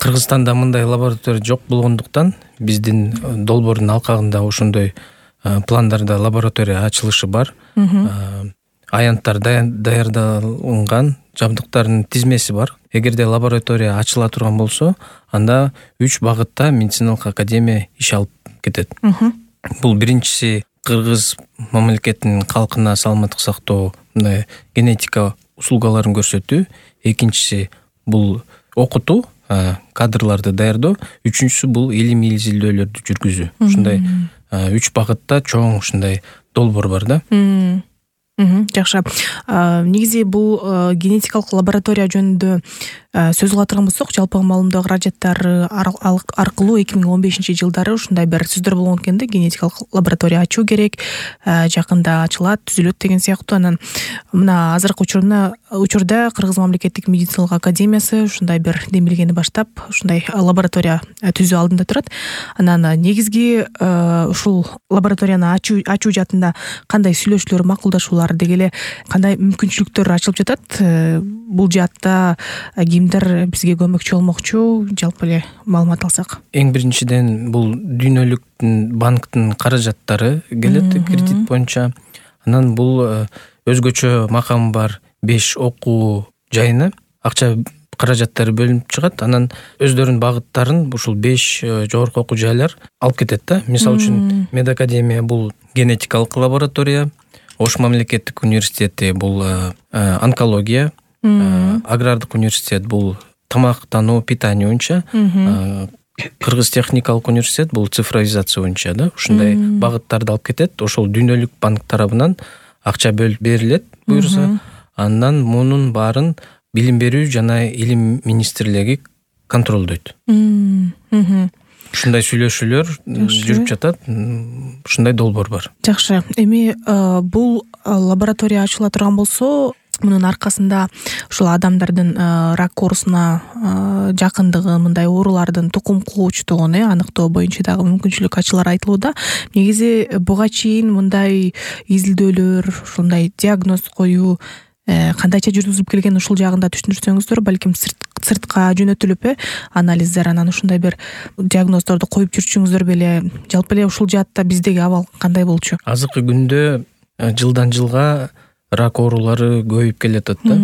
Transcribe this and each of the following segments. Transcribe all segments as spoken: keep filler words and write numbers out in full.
Кыргызстанда мындай лаборатория жок болгондуктан биздин долбоордун алкагында ошондой пландарда лаборатория ачылышы бар. Аянттар даярдалган жабдыктардын тизмеси бар. Эгерде лаборатория ачыла турган болсо, анда үч багытта медициналык академия иш алып кетет. Бул биринчиси Кыргыз мамлекетинин калкына саламаттык сактоо, мындай генетика услугаларын көрсөтүү. Экинчиси бул окутуу, кадрларды даярдоо. Үчүнчүсү бул илимий изилдөөлөрдү жүргүзүү. Ушундай үч багытта чоң ушундай долбоор бар да. Жакшы. Негизи бул генетикалык лаборатория жөнүндө сөз кыла турган болсок, жалпы маалымдоо каражаттары аркылуу эки миң он бешинчи жылдары ушундай бир сөздөр болгон экен да, генетикалык лаборатория ачуу керек, жакында ачылат, түзүлөт деген сыяктуу. Анан мына азыркы учурда учурда Кыргыз мамлекеттик медициналык академиясы ушундай бир демилгени баштап, ушундай лаборатория түзүү алдында турат. Анан негизги ушул лабораторияны ачуу ачуу жаатында кандай сүйлөшүүлөр, макулдашуулар, деги эле кандай мүмкүнчүлүктөр ачылып жатат? Бул жаатта кимдер бизге көмөкчү болмокчу? Жалпы эле маалымат алсак. Эң биринчиден бул дүйнөлүк банктын каражаттары келет кредит боюнча. Анан бул өзгөчө макамы бар беш окуу жайына акча каражаттары бөлүнүп чыгат. Анан өздөрүнүн багыттарын ушул беш жогорку окуу жайлар алып кетет да. Мисалы үчүн Медакадемия бул генетикалык лаборатория, Ош мамлекеттик университети бул онкология, Агрардык университет бул тамактануу, питание боюнча, Кыргыз техникалык университет бул цифровизация боюнча да. Ушундай багыттарды алып кетет. Ошол дүйнөлүк банк тарабынан акча бөлүп берилет буюрса. Андан мунун баарын билим берүү жана илим министрлиги контролдойт. Ушундай сүйлөшүүлөр жүрүп жатат. Ушундай долбоор бар. Жакшы. Эми бул лаборатория ачыла турган болсо, мунун аркасында ушул адамдардын рак оорусуна жакындыгы, мындай оорулардын тукум куугучтугун аныктоо боюнча дагы мүмкүнчүлүк ачылары айтылууда. Негизи буга чейин мындай изилдөөлөр, ушундай диагноз коюу кандайча жүргүзүлүп келген, ушул жагында түшүндүрсөңүздөр, балким сыртка жөнөтүлүп анализдер, анан ушундай бир диагноздорду коюп жүрчүңүздөр беле? Жалпы эле ушул жаатта биздеги абал кандай болчу? Азыркы күндө жылдан жылга рак оорулары көбөйүп келатат да.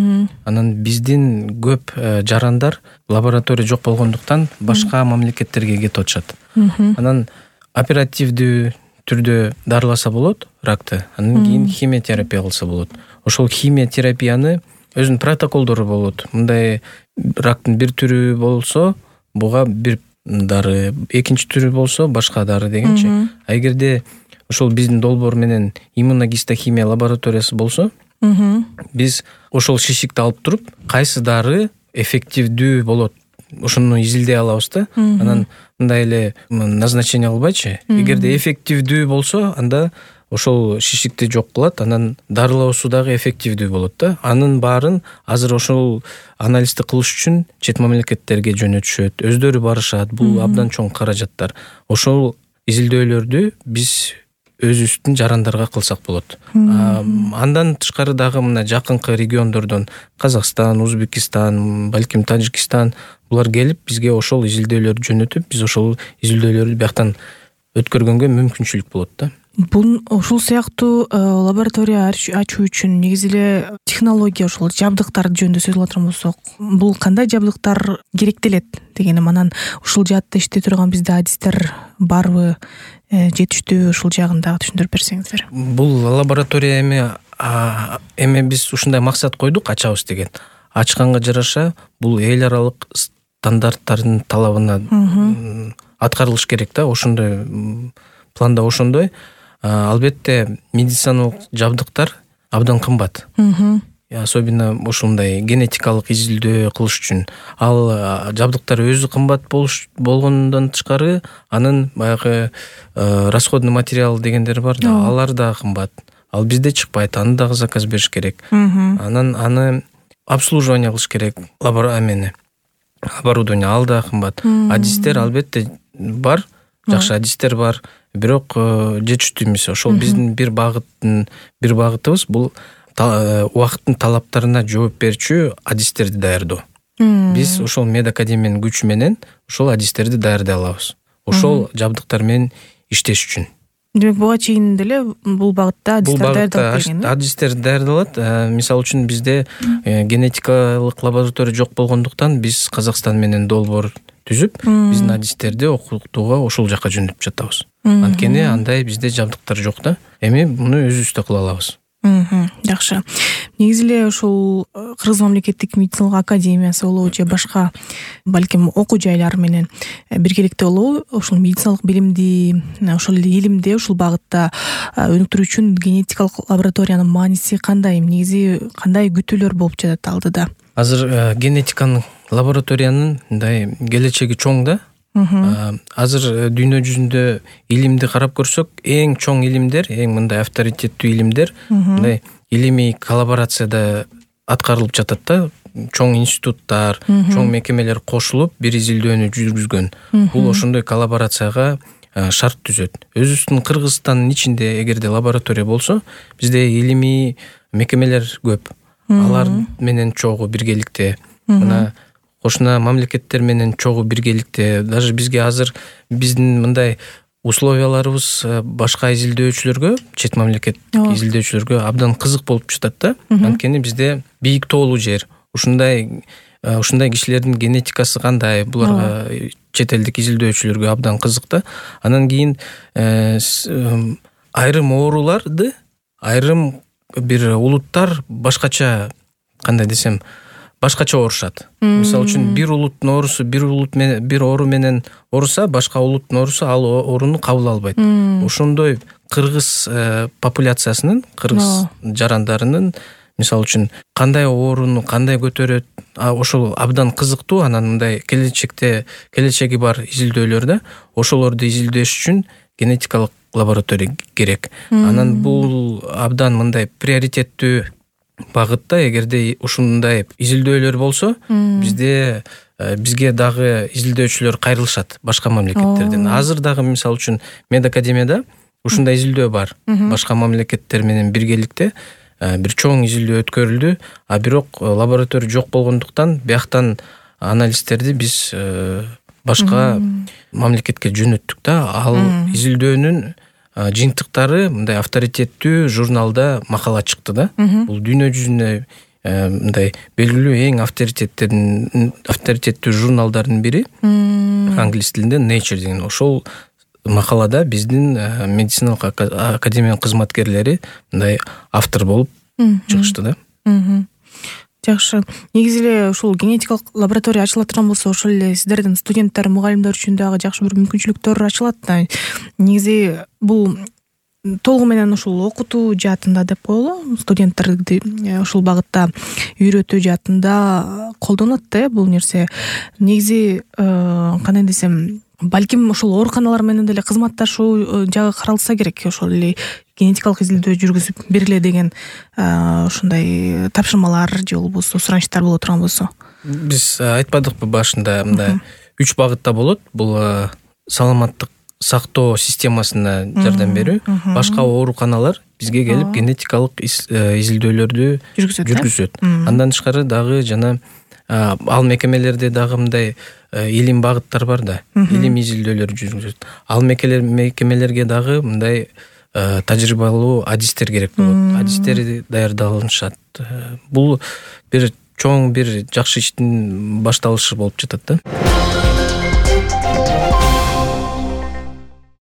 Анан биздин көп жарандар лаборатория жок болгондуктан башка мамлекеттерге кетип атышат. Анан оперативдүү түрдө дарыласа болот ракты, анан кийин химиотерапия кылса болот. Ошол химиотерапияны өзүнүн протоколдору болот. Мындай рактын бир түрү болсо, буга бир дары, экинчи түрү болсо башка дары дегенче. А эгерде ошол биздин долбоор менен иммуногистохимия лабораториясы болсо, биз ошол шишикти алып туруп, кайсы дары эффективдүү болот, ошону изилдей алабыз да. Анан мындай эле назначение кылбайчы. Эгерде эффективдүү болсо, анда ошол шишикти жок кылат, анан дарылоосу дагы эффективдүү болот да. Анын баарын азыр ошол анализди кылыш үчүн чет мамлекеттерге жөнөтүшөт, өздөрү барышат. Бул абдан чоң каражаттар. Ошол изилдөөлөрдү биз өзүбүздүн жарандарга кылсак болот. Андан тышкары дагы мына жакынкы региондордон Казакстан, Узбекистан, балким Тажикстан булар келип бизге ошол изилдөөлөрдү жөнөтүп, биз ошол изилдөөлөрдү бияктан өткөргөнгө мүмкүнчүлүк болот да. Бул ушул сыяктуу лаборатория ачуу үчүн негизи эле технология, ошол жабдыктар жөнүндө сөз кыла турган болсок, бул кандай жабдыктар керектелет дегеним. Анан ушул жаатта иштей турган бизде адистер барбы, жетиштүү, ушул жагын дагы түшүндүрүп берсеңиздер. Бул лаборатория эми эми биз ушундай максат койдук ачабыз деген. Ачканга жараша бул эл аралык стандарттардын талабына аткарылыш керек да. Ошондой планда ошондой. Албетте медициналык жабдыктар абдан кымбат. Особенно ошондой генетикалык изилдөө кылыш үчүн. Ал жабдыктар өзү кымбат болгондон тышкары, анын баягы расходный материал дегендер бар да, алар да кымбат. Ал бизде чыкпайт, аны дагы заказ бериш керек. Анан аны обслуживание кылыш керек, лабораторияны, оборудование, ал да кымбат. Адистер албетте бар, жакшы адистер бар, бирок жетиштүү эмес. Ошол биздин бир багыттын бир багытыбыз бул убакыттын талаптарына жооп берүүчү адистерди даярдоо. Биз ошол медакадемиянын күчү менен ошол адистерди даярдай алабыз. Ошол жабдыктар менен иштеш үчүн. Демек буга чейин деле бул багытта адистер даярдалып келген. Адистер даярдалат. Мисалы үчүн бизде генетикалык лаборатория жок болгондуктан биз Казакстан менен долбоор түзүп, биздин адистерди окутууга ошол жака жөнөтүп жатабыз. Анткени андай бизде жабдыктар жок да. Эми муну өзүбүздө кыла алабыз. Жакшы. Негизи эле ушул Кыргыз мамлекеттик медициналык академиясы болобу же башка балким окуу жайлар менен биргеликте болобу ушул медициналык билимди, ошол эле илимди ушул багытта өнүктүрүү үчүн генетикалык лабораториянын мааниси кандай? Негизи кандай күтүүлөр болуп жатат алдыда? Азыр генетиканын лабораториянын мындай келечеги чоң да. Азыр дүйнө жүзүндө илимди карап көрсөк, эң чоң илимдер, эң мындай авторитеттүү илимдер мындай илимий коллаборацияда аткарылып жатат да. Чоң институттар, чоң мекемелер кошулуп бир изилдөөнү жүргүзгөн. Бул ошондой коллаборацияга шарт түзөт. Өзүбүздүн Кыргызстандын ичинде эгерде лаборатория болсо, бизде илимий мекемелер көп. Алар менен чогуу биргеликте мына кошуна мамлекеттер менен чогуу биргеликте, даже бизге азыр биздин мындай условияларыбыз башка изилдөөчүлөргө, чет мамлекеттик изилдөөчүлөргө абдан кызык болуп жатат да. Анткени бизде бийик тоолуу жер, ушундай ушундай кишилердин генетикасы кандай, буларга чет элдик изилдөөчүлөргө абдан кызык да. Анан кийин айрым ооруларды айрым бир улуттар башкача, кандай десем, башкача оорушат. Мисалы үчүн бир улуттун оорусу бир улут менен бир оору менен ооруса, башка улуттун оорусу ал ооруну кабыл албайт. Ошондой кыргыз популяциясынын, кыргыз жарандарынын мисалы үчүн кандай ооруну кандай көтөрөт, ошол абдан кызыктуу. Анан мындай келечекте келечеги бар изилдөөлөр да, ошолорду изилдеш үчүн генетикалык лаборатория керек. Анан бул абдан мындай приоритеттүү багытта. Эгерде ушундай изилдөөлөр болсо, бизде бизге дагы изилдөөчүлөр кайрылышат башка мамлекеттерден. Азыр дагы мисалы үчүн медакадемияда ушундай изилдөө бар. Башка мамлекеттер менен биргеликте бир чоң изилдөө өткөрүлдү, а бирок лаборатория жок болгондуктан бияктан анализтерди биз башка мамлекетке жөнөттүк да. Ал изилдөөнүн жыйынтыктары мындай авторитеттүү журналда макала чыкты да. Бул дүйнө жүзүнө мындай белгилүү эң авторитеттердин авторитеттүү журналдардын бири, англис тилинде Nature деген. Ошол макалада биздин медициналык академиянын кызматкерлери мындай автор болуп чыгышты да. Жакшы. Негизи эле ушул генетикалык лаборатория ачыла турган болсо, ошол эле сиздердин студенттер, мугалимдер үчүн дагы жакшы бир мүмкүнчүлүктөр ачылат да. Негизи бул толугу менен ушул окутуу жаатында деп коелу, студенттерди ушул багытта үйрөтүү жаатында колдонот да бул нерсе. Негизи кандай десем, балким ошол ооруканалар менен деле кызматташуу жагы каралса керек. Ошол эле генетикалык изилдөө жүргүзүп бергиле деген ушундай тапшырмалар же болбосо суранычтар боло турган болсо. Биз айтпадыкпы башында, мындай үч багытта болот. Бул саламаттык сактоо системасына жардам берүү. Башка ооруканалар бизге келип генетикалык изилдөөлөрдү жүргүзөт. Андан тышкары дагы жана ал мекемелерде дагы мындай илим багыттар бар да. Илим изилдөөлөр жүргүзөт. Ал мекемелерге дагы мындай тажрыйбалуу адистер керек болот. Адистер даярдалышат. Бул бир чоң бир жакшы иштин башталышы болуп жатат да.